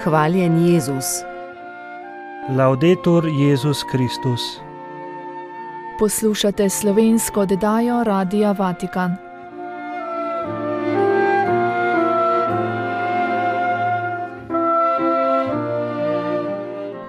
Hvaljen Jezus. Laudetur Jezus Kristus. Poslušate slovensko oddajo Radia Vatikan.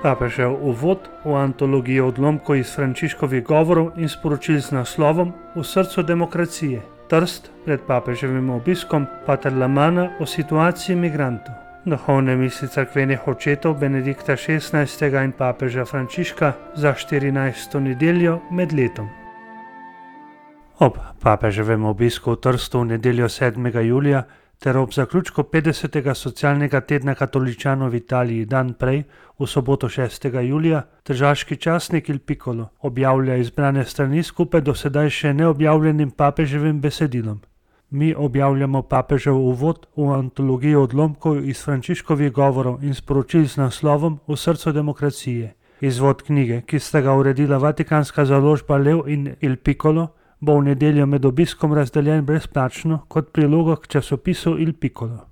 Papežev uvod v antologijo odlomkov iz Frančiškovih govorov in sporočil z naslovom V srcu demokracije. Trst pred papeževim obiskom pater Lamana o situaciji migrantov. Duhovne misli cerkvenih očetov Benedikta XVI. In papeža Frančiška za 14. nedeljo med letom. Ob papeževem obisku v Trstu v nedeljo 7. julija ter ob zaključku 50. socialnega tedna katoličanov v Italiji dan prej, v soboto 6. julija, tržaški časnik Il Piccolo objavlja izbrane strani skupaj do sedaj še neobjavljenim papeževim besedilom. Mi objavljamo papežev uvod v antologijo odlomkov iz Frančiškovih govorov in sporočil z naslovom V srcu demokracije. Izvod knjige, ki sta ga uredila vatikanska založba Lev in Il Piccolo, bo v nedeljo med obiskom razdeljen brezplačno kot priloga k časopisu Il Piccolo.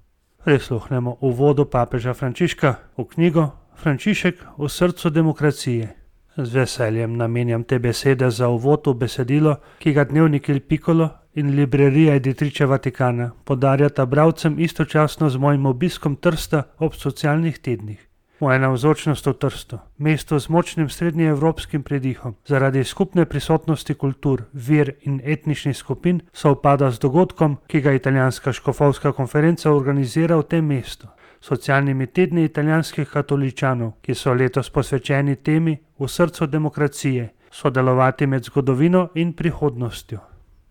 Prisluhnemo uvodu papeža Frančiška v knjigo Frančišek v srcu demokracije. Z veseljem namenjam te besede za uvod v besedilo, ki ga dnevnik Il Piccolo in librerija Editrice Vaticana podarjata bralcem istočasno z mojim obiskom Trsta ob socialnih tednih. Moja navzočnost v Trstu, mesto z močnim srednjeevropskim predihom, zaradi skupne prisotnosti kultur, ver in etničnih skupin, sovpada z dogodkom, ki ga italijanska škofovska konferenca organizira v tem mestu. Socialnimi tedni italijanskih katoličanov, ki so letos posvečeni temi V srcu demokracije, sodelovati med zgodovino in prihodnostjo.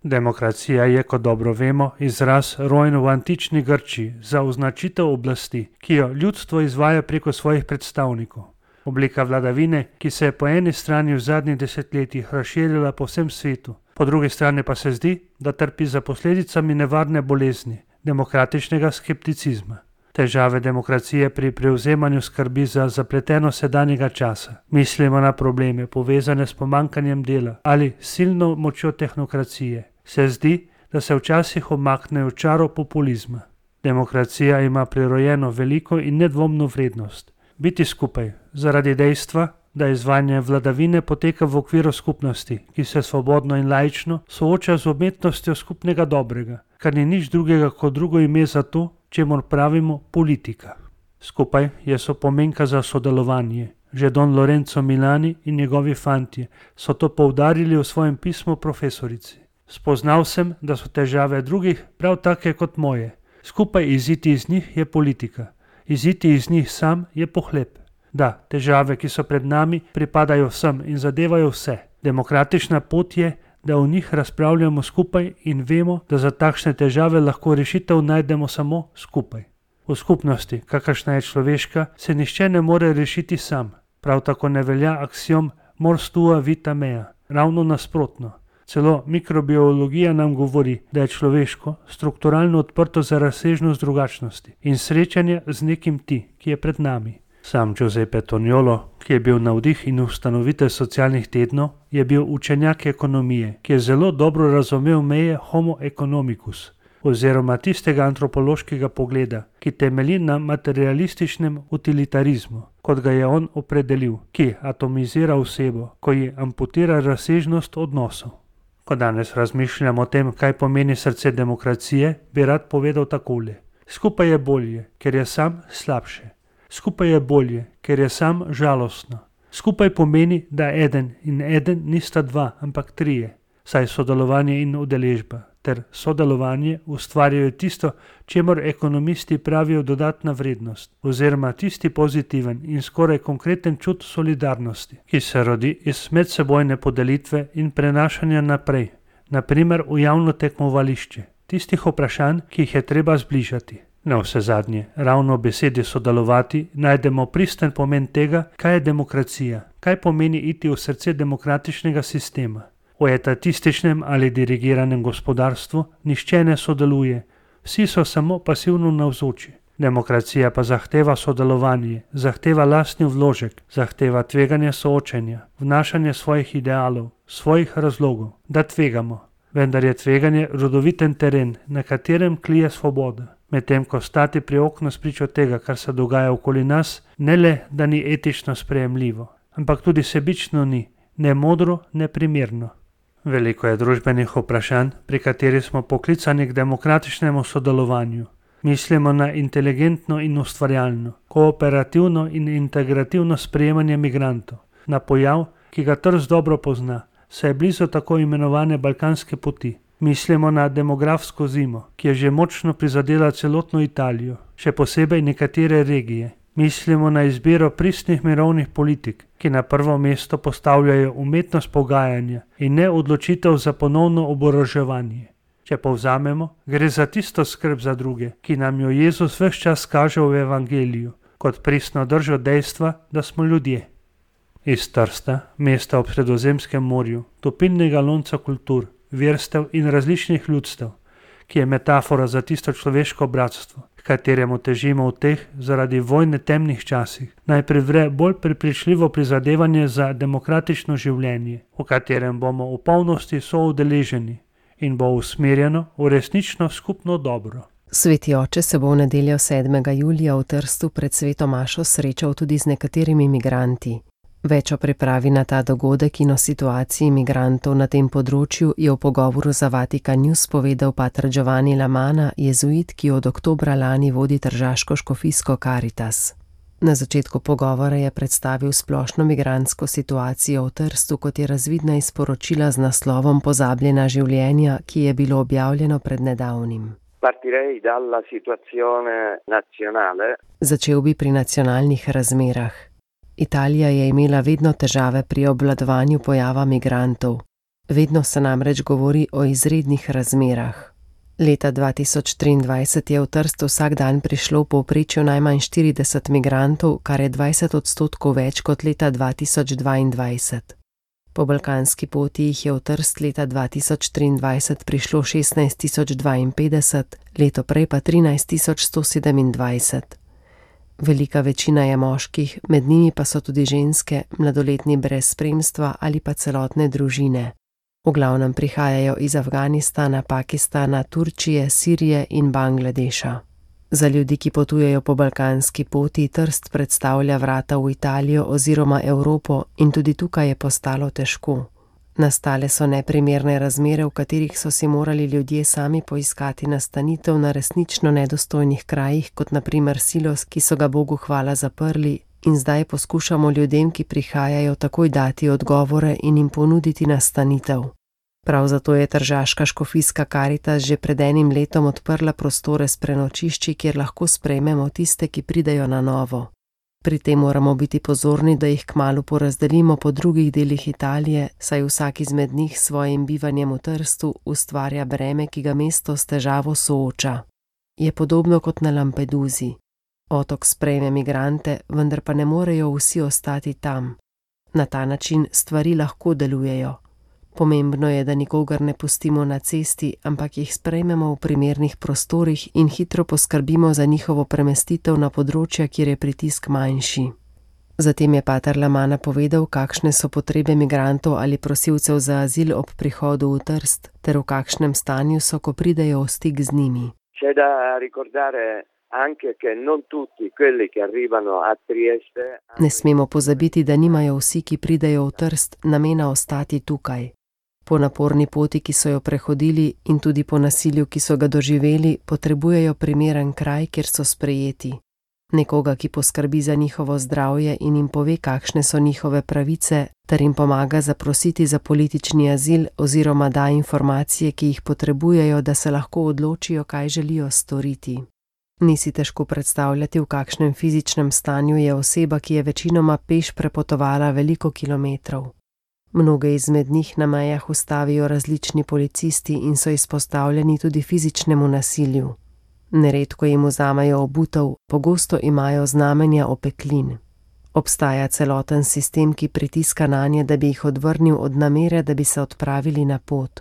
Demokracija je, kot dobro vemo, izraz rojen v antični Grčiji za označitev oblasti, ki jo ljudstvo izvaja preko svojih predstavnikov. Oblika vladavine, ki se je po eni strani v zadnjih desetletjih razširila po vsem svetu, po drugi strani pa se zdi, da trpi za posledicami nevarne bolezni, demokratičnega skepticizma. Težave demokracije pri prevzemanju skrbi za zapleteno sedanjega časa. Mislimo na probleme povezane s pomankanjem dela ali silno močjo tehnokracije. Se zdi, da se včasih omaknejo v čaro populizma. Demokracija ima prirojeno veliko in nedvomno vrednost. Biti skupaj, zaradi dejstva, da izvajanje vladavine poteka v okviru skupnosti, ki se svobodno in laično sooča z umetnostjo skupnega dobrega, kar ni nič drugega kot drugo ime za to, čemur pravimo politika. Skupaj je sopomenka za sodelovanje. Že Don Lorenzo Milani in njegovi fantje so to poudarili v svojem pismu profesorici. Spoznal sem, da so težave drugih prav take kot moje. Skupaj iziti iz njih je politika. Iziti iz njih sam je pohlep. Da, težave, ki so pred nami, pripadajo vsem in zadevajo vse. Demokratična pot je, da o njih razpravljamo skupaj in vemo, da za takšne težave lahko rešitev najdemo samo skupaj. V skupnosti, kakršna je človeška, se nihče ne more rešiti sam. Prav tako ne velja aksiom mors tua vita mea. Ravno nasprotno. Celo mikrobiologija nam govori, da je človeško strukturalno odprto za razsežnost drugačnosti in srečanje z nekim ti, ki je pred nami. Sam Giuseppe Toniolo, ki je bil navdih in ustanovitelj socialnih tednov, je bil učenjak ekonomije, ki je zelo dobro razumel meje homo economicus, oziroma tistega antropološkega pogleda, ki temelji na materialističnem utilitarizmu, kot ga je on opredelil, ki atomizira osebo, ko ji amputira razsežnost odnosov. Ko danes razmišljamo o tem, kaj pomeni srce demokracije, bi rad povedal takole. Skupaj je bolje, ker je sam slabše. Skupaj je bolje, ker je sam žalostno. Skupaj pomeni, da eden in eden nista dva, ampak trije, saj sodelovanje in udeležba ter sodelovanje ustvarjajo tisto, čemur ekonomisti pravijo dodatna vrednost, oziroma tisti pozitiven in skoraj konkreten čut solidarnosti, ki se rodi iz medsebojne podelitve in prenašanja naprej, naprimer v javno tekmovališče, tistih vprašanj, ki jih je treba zbližati. Na vse zadnje, ravno v besedi sodelovati najdemo pristen pomen tega, kaj je demokracija, kaj pomeni iti v srce demokratičnega sistema. V etatističnem ali dirigiranem gospodarstvu nihče ne sodeluje, vsi so samo pasivno navzoči. Demokracija pa zahteva sodelovanje, zahteva lastni vložek, zahteva tveganje soočenja, vnašanje svojih idealov, svojih razlogov, da tvegamo. Vendar je tveganje rodoviten teren, na katerem klije svoboda. Medtem ko stati pri oknu spričo tega, kar se dogaja okoli nas, ne le, da ni etično sprejemljivo, ampak tudi sebično ni, ne modro, ne primerno. Veliko je družbenih vprašanj, pri katerih smo poklicani k demokratičnemu sodelovanju. Mislimo na inteligentno in ustvarjalno, kooperativno in integrativno sprejemanje migrantov, na pojav, ki ga Trst dobro pozna, saj je blizu tako imenovane balkanske poti. Mislimo na demografsko zimo, ki je že močno prizadela celotno Italijo, še posebej nekatere regije. Mislimo na izbiro pristnih mirovnih politik, ki na prvo mesto postavljajo umetnost pogajanja in ne odločitev za ponovno oboroževanje. Če povzamemo, gre za tisto skrb za druge, ki nam jo Jezus ves čas kaže v evangeliju, kot pristno držo dejstva, da smo ljudje. Iz Trsta, mesta ob Sredozemskem morju, topilnega lonca kultur, verstev in različnih ljudstev, ki je metafora za tisto človeško bratstvo, kateremu težimo v teh zaradi vojne temnih časih, naj privre bolj prepričljivo prizadevanje za demokratično življenje, v katerem bomo v polnosti soudeleženi in bo usmerjeno v resnično skupno dobro. Sveti oče se bo v nedeljo 7. julija v Trstu pred sveto mašo srečal tudi z nekaterimi migranti. Več o pripravi na ta dogodek in o situaciji migrantov na tem področju je v pogovoru za Vatikan News povedal pater Giovanni Lamana, jezuit, ki od oktobra lani vodi tržaško škofijsko Caritas. Na začetku pogovora je predstavil splošno migrantsko situacijo v Trstu, kot je razvidna iz poročila z naslovom Pozabljena življenja, ki je bilo objavljeno pred nedavnim. Partirei dalla situazione nazionale. Začel bi pri nacionalnih razmerah. Italija je imela vedno težave pri obvladovanju pojava migrantov. Vedno se namreč govori o izrednih razmerah. Leta 2023 je v Trst vsak dan prišlo v povprečju najmanj 40 migrantov, kar je 20% več kot leta 2022. Po balkanski poti jih je v Trst leta 2023 prišlo 16 052, leto prej pa 13 127. Velika večina je moških, med njimi pa so tudi ženske, mladoletni brez spremstva ali pa celotne družine. V glavnem prihajajo iz Afganistana, Pakistana, Turčije, Sirije in Bangladeša. Za ljudi, ki potujejo po balkanski poti, Trst predstavlja vrata v Italijo oziroma Evropo in tudi tukaj je postalo težko. Nastale so neprimerne razmere, v katerih so si morali ljudje sami poiskati nastanitev na resnično nedostojnih krajih, kot na primer Silos, ki so ga Bogu hvala zaprli, in zdaj poskušamo ljudem, ki prihajajo, takoj dati odgovore in jim ponuditi nastanitev. Prav zato je tržaška škofijska Caritas že pred enim letom odprla prostore s prenočišči, kjer lahko sprejmemo tiste, ki pridejo na novo. Pri tem moramo biti pozorni, da jih kmalu porazdelimo po drugih delih Italije, saj vsak izmed njih s svojim bivanjem v Trstu ustvarja breme, ki ga mesto s težavo sooča. Je podobno kot na Lampedusi. Otok sprejme migrante, vendar pa ne morejo vsi ostati tam. Na ta način stvari lahko delujejo. Pomembno je, da nikogar ne pustimo na cesti, ampak jih sprejmemo v primernih prostorih in hitro poskrbimo za njihovo premestitev na področja, kjer je pritisk manjši. Zatem je pater Lamana povedal, kakšne so potrebe migrantov ali prosilcev za azil ob prihodu v Trst, ter v kakšnem stanju so, ko pridejo v stik z njimi. C'è da ricordare anche che non tutti quelli che arrivano a Trieste. Ne smemo pozabiti, da nimajo vsi, ki pridejo v Trst, namena ostati tukaj. Po naporni poti, ki so jo prehodili, in tudi po nasilju, ki so ga doživeli, potrebujejo primeren kraj, kjer so sprejeti. Nekoga, ki poskrbi za njihovo zdravje in jim pove, kakšne so njihove pravice, ter jim pomaga zaprositi za politični azil oziroma da informacije, ki jih potrebujejo, da se lahko odločijo, kaj želijo storiti. Ni si težko predstavljati, v kakšnem fizičnem stanju je oseba, ki je večinoma peš prepotovala veliko kilometrov. Mnoge izmed njih na mejah ustavijo različni policisti in so izpostavljeni tudi fizičnemu nasilju. Neredko jim vzamejo obutev, pogosto imajo znamenja opeklin. Obstaja celoten sistem, ki pritiska nanje, da bi jih odvrnil od namere, da bi se odpravili na pot.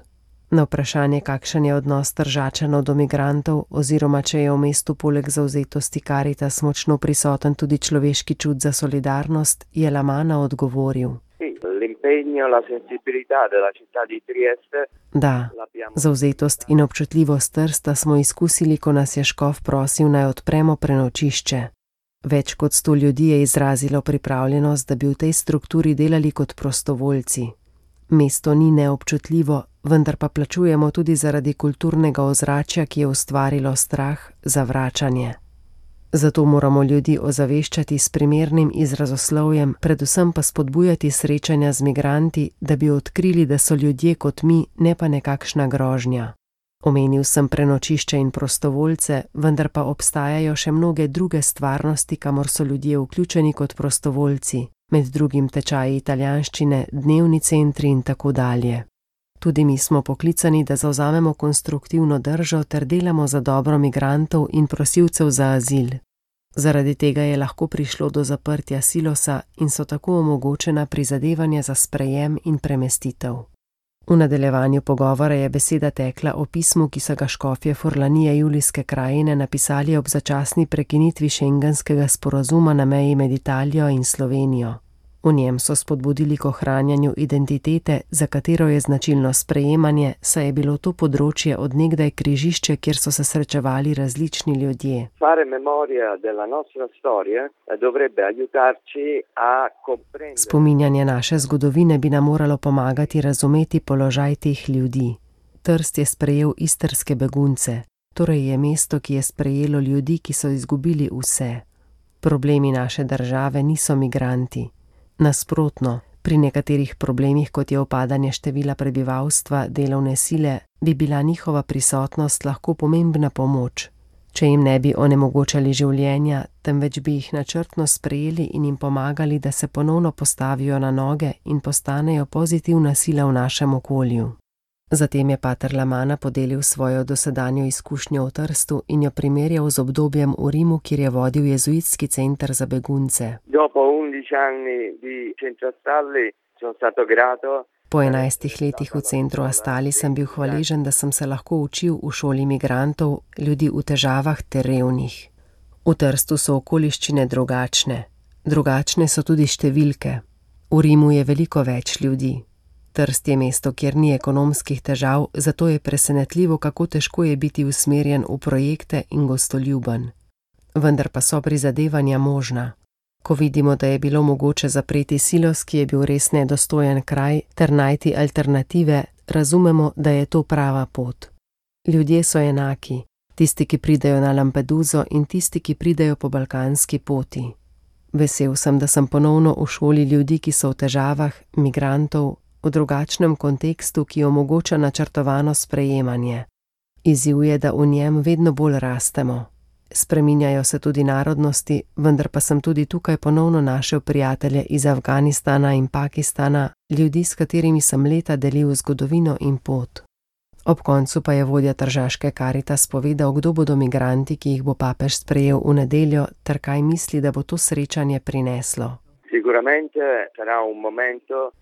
Na vprašanje, kakšen je odnos Tržačanov do migrantov oziroma če je v mestu poleg zavzetosti Caritas močno prisoten tudi človeški čut za solidarnost, je Lamana odgovoril. l'impegno, la sensibilità della città di Trieste. Da, zavzetost in občutljivost Trsta smo izkusili, ko nas je škof prosil, naj odpremo prenočišče. Več kot 100 ljudi je izrazilo pripravljenost, da bi v tej strukturi delali kot prostovoljci. Mesto ni neobčutljivo, vendar pa plačujemo tudi zaradi kulturnega ozračja, ki je ustvarilo strah, zavračanje. Zato moramo ljudi ozaveščati s primernim izrazoslovjem, predvsem pa spodbujati srečanja z migranti, da bi odkrili, da so ljudje kot mi, ne pa nekakšna grožnja. Omenil sem prenočišče in prostovoljce, vendar pa obstajajo še mnoge druge stvarnosti, kamor so ljudje vključeni kot prostovoljci, med drugim tečaji italijanščine, dnevni centri in tako dalje. Tudi mi smo poklicani, da zavzamemo konstruktivno držo ter delamo za dobro migrantov in prosilcev za azil. Zaradi tega je lahko prišlo do zaprtja silosa in so tako omogočena prizadevanja za sprejem in premestitev. V nadaljevanju pogovora je beseda tekla o pismu, ki so ga škofje Furlanije Julijske krajine napisali ob začasni prekinitvi šengenskega sporazuma na meji med Italijo in Slovenijo. V njem so spodbudili k ohranjanju identitete, za katero je značilno sprejemanje, saj je bilo to področje od nekdaj križišče, kjer so se srečevali različni ljudje. Spominjanje naše zgodovine bi nam moralo pomagati razumeti položaj teh ljudi. Trst je sprejel istrske begunce, torej je mesto, ki je sprejelo ljudi, ki so izgubili vse. Problemi naše države niso migranti. Nasprotno, pri nekaterih problemih, kot je upadanje števila prebivalstva, delovne sile, bi bila njihova prisotnost lahko pomembna pomoč. Če jim ne bi onemogočali življenja, temveč bi jih načrtno sprejeli in jim pomagali, da se ponovno postavijo na noge in postanejo pozitivna sila v našem okolju. Zatem je pater Lamana podelil svojo dosedanjo izkušnjo v Trstu in jo primerjal z obdobjem v Rimu, kjer je vodil jezuitski center za begunce. Po 11 letih v centru Astali sem bil hvaležen, da sem se lahko učil v šoli migrantov, ljudi v težavah ter revnih. V Trstu so okoliščine drugačne. Drugačne so tudi številke. V Rimu je veliko več ljudi. Trst je mesto, kjer ni ekonomskih težav, zato je presenetljivo, kako težko je biti usmerjen v projekte in gostoljuben. Vendar pa so prizadevanja možna. Ko vidimo, da je bilo mogoče zapreti silos, ki je bil res nedostojen kraj, ter najti alternative, razumemo, da je to prava pot. Ljudje so enaki, tisti, ki pridejo na Lampeduso in tisti, ki pridejo po balkanski poti. Vesel sem, da sem ponovno v šoli ljudi, ki so v težavah, migrantov, v drugačnem kontekstu, ki omogoča načrtovano sprejemanje. Izziv je, da v njem vedno bolj rastemo. Spreminjajo se tudi narodnosti, vendar pa sem tudi tukaj ponovno našel prijatelje iz Afganistana in Pakistana, ljudi, s katerimi sem leta delil zgodovino in pot. Ob koncu pa je vodja tržaške Karitas povedal, kdo bodo migranti, ki jih bo papež sprejel v nedeljo, ter kaj misli, da bo to srečanje prineslo.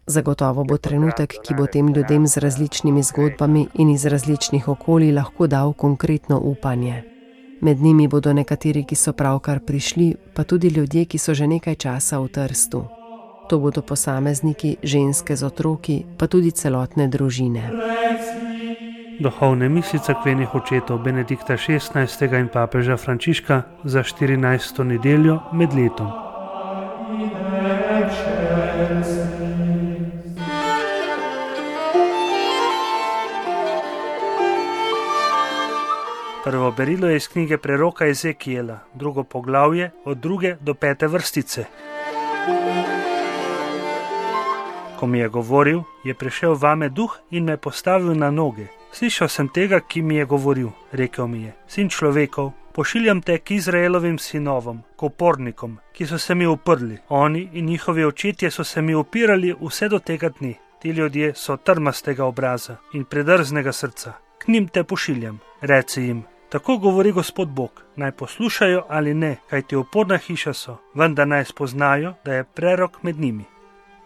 Zagotovo bo trenutek, ki bo tem ljudem z različnimi zgodbami in iz različnih okolij lahko dal konkretno upanje. Med njimi bodo nekateri, ki so pravkar prišli, pa tudi ljudje, ki so že nekaj časa v Trstu. To bodo posamezniki, ženske z otroki, pa tudi celotne družine. Duhovne misli cerkvenih očetov Benedikta XVI. In papeža Frančiška za 14. nedeljo med letom. Prvo berilo je iz knjige preroka Ezekijela, drugo poglavje od 2. do 5. vrstice. Ko mi je govoril, je prišel vame duh in me postavil na noge. Slišal sem tega, ki mi je govoril. Rekel mi je: sin človekov, pošiljam te k Izraelovim sinovom, k upornikom, ki so se mi uprli. Oni in njihovi očetje so se mi upirali vse do tega dne. Ti ljudje so trmastega obraza in predrznega srca. K njim te pošiljam. Reci jim: tako govori Gospod Bog, naj poslušajo ali ne, kajti uporna hiša so, vendar naj spoznajo, da je prerok med njimi.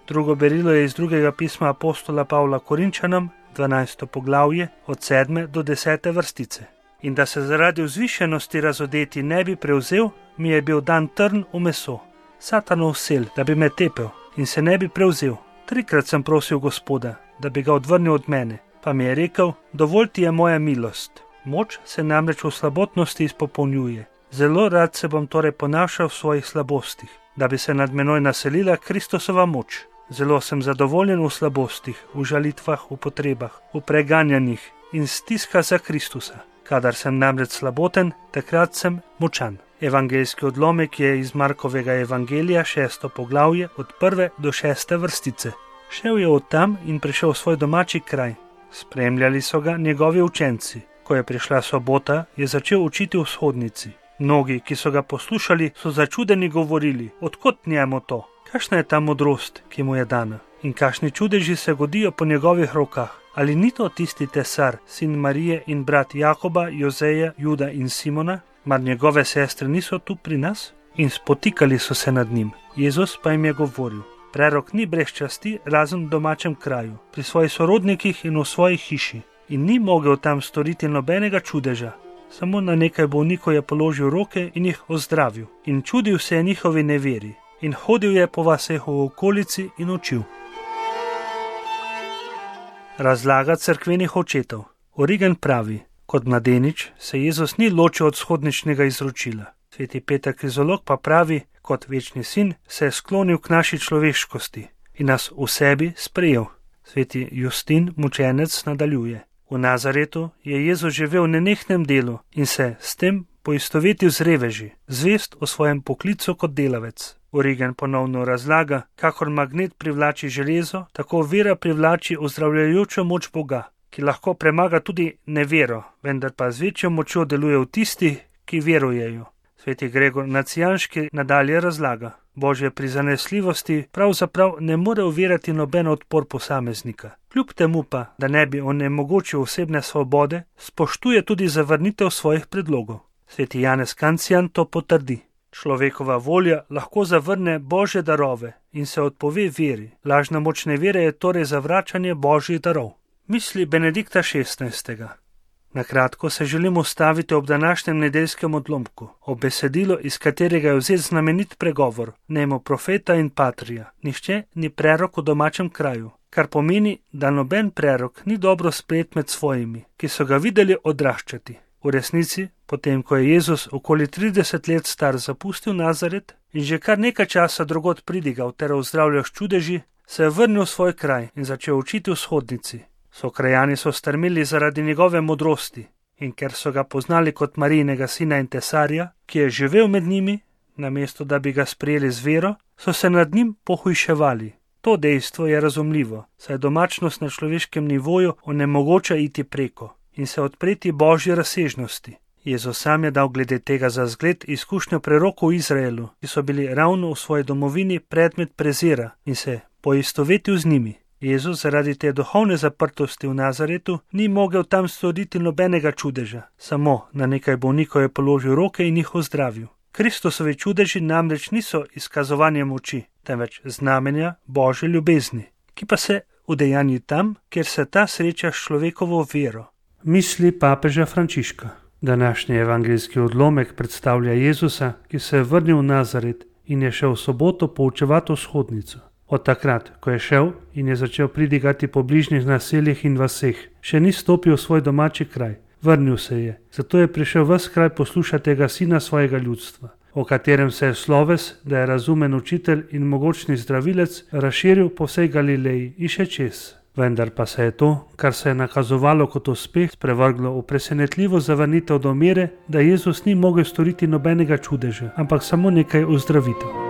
Drugo berilo je iz drugega pisma apostola Pavla Korinčanom, 12. poglavje, od 7. do 10. vrstice. In da se zaradi vzvišenosti razodeti ne bi prevzel, mi je bil dan trn v meso, Satanov sel, da bi me tepel in se ne bi prevzel. 3-krat sem prosil Gospoda, da bi ga odvrnil od mene, pa mi je rekel, dovolj ti je moja milost. Moč se namreč v slabotnosti izpopolnjuje. Zelo rad se bom torej ponašal v svojih slabostih, da bi se nad menoj naselila Kristusova moč. Zelo sem zadovoljen v slabostih, v žalitvah, v potrebah, v preganjanjih in stiskah za Kristusa. Kadar sem namreč slaboten, takrat sem močan. Evangeljski odlomek je iz Markovega evangelija 6. poglavje od 1. do 6. vrstice. Šel je od tam in prišel v svoj domači kraj. Spremljali so ga njegovi učenci. Ko je prišla sobota, je začel učiti v shodnici. Mnogi, ki so ga poslušali, so začudeni govorili, odkot njemu to? Kakšna je ta modrost, ki mu je dana? In kakšni čudeži se godijo po njegovih rokah? Ali ni to tisti tesar, sin Marije in brat Jakoba, Jozeja, Juda in Simona? Mar njegove sestre niso tu pri nas? In spotikali so se nad njim. Jezus pa jim je govoril, prerok ni brez časti razen v domačem kraju, pri svojih sorodnikih in v svoji hiši. In ni mogel tam storiti nobenega čudeža. Samo na nekaj bolnikov je položil roke in jih ozdravil. In čudil se je njihovi neveri. In hodil je po vaseh v okolici in učil. Razlaga cerkvenih očetov. Origen pravi, kot mladenič se Jezus ni ločil od shodničnega izročila. Sveti Peter Krizolog pa pravi, kot večni sin se je sklonil k naši človeškosti in nas v sebi sprejel. Sveti Justin mučenec nadaljuje. V Nazaretu je Jezus živel v nenehnem delu in se s tem poistovetil z reveži, zvest o svojem poklicu kot delavec. Origen ponovno razlaga, kakor magnet privlači železo, tako vera privlači ozdravljajočo moč Boga, ki lahko premaga tudi nevero, vendar pa z večjo močjo deluje v tistih, ki verujejo. Sveti Gregor Nacijanški nadalje razlaga, Božje prizanesljivosti pravzaprav ne more uvirati noben odpor posameznika. Kljub temu pa, da ne bi onemogočil osebne svobode, spoštuje tudi zavrnitev svojih predlogov. Sveti Janez Kancijan to potrdi. Človekova volja lahko zavrne Božje darove in se odpove veri. Lažna moč nevere je torej zavračanje Božjih darov. Misli Benedikta XVI. Na kratko se želimo ustaviti ob današnjem nedeljskem odlomku, ob besedilo, iz katerega je vzet znamenit pregovor, nemo profeta in patrija. Nihče ni prerok v domačem kraju, kar pomeni, da noben prerok ni dobro sprejet med svojimi, ki so ga videli odraščati. V resnici, potem ko je Jezus okoli 30 let star zapustil Nazaret in že kar nekaj časa drugod pridigal ter ozdravljal s čudeži, se je vrnil v svoj kraj in začel učiti v shodnici. Sokrajani so strmeli zaradi njegove modrosti in ker so ga poznali kot Marijinega sina in tesarja, ki je živel med njimi, namesto da bi ga sprejeli z vero, so se nad njim pohujševali. To dejstvo je razumljivo, saj domačnost na človeškem nivoju onemogoča iti preko in se odpreti Božji razsežnosti. Jezus sam je dal glede tega za zgled izkušnjo prerokov v Izraelu, ki so bili ravno v svoji domovini predmet prezira in se poistovetil z njimi. Jezus zaradi te duhovne zaprtosti v Nazaretu ni mogel tam storiti nobenega čudeža, samo na nekaj bolnikov je položil roke in jih ozdravil. Kristusovi čudeži namreč niso izkazovanje moči, temveč znamenja Božje ljubezni, ki pa se udejanji tam, kjer se ta sreča s človekovo vero. Misli papeža Frančiška. Današnji evangeljski odlomek predstavlja Jezusa, ki se je vrnil v Nazaret in je šel v soboto poučevati v shodnico. Od takrat, ko je šel in je začel pridigati po bližnjih naseljih in vaseh, še ni stopil v svoj domači kraj. Vrnil se je, zato je prišel ves kraj poslušati tega sina svojega ljudstva, o katerem se je sloves, da je razumen učitelj in mogočni zdravilec, razširil po vsej Galileji in še čez. Vendar pa se je to, kar se je nakazovalo kot uspeh, sprevrglo v presenetljivo zavrnitev do mere, da Jezus ni mogel storiti nobenega čudeža, ampak samo nekaj ozdravitev.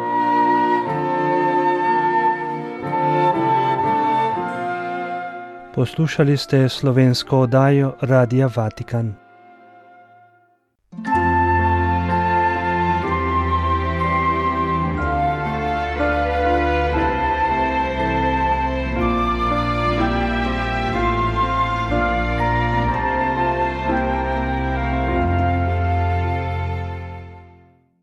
Poslušali ste slovensko oddajo Radia Vatikan.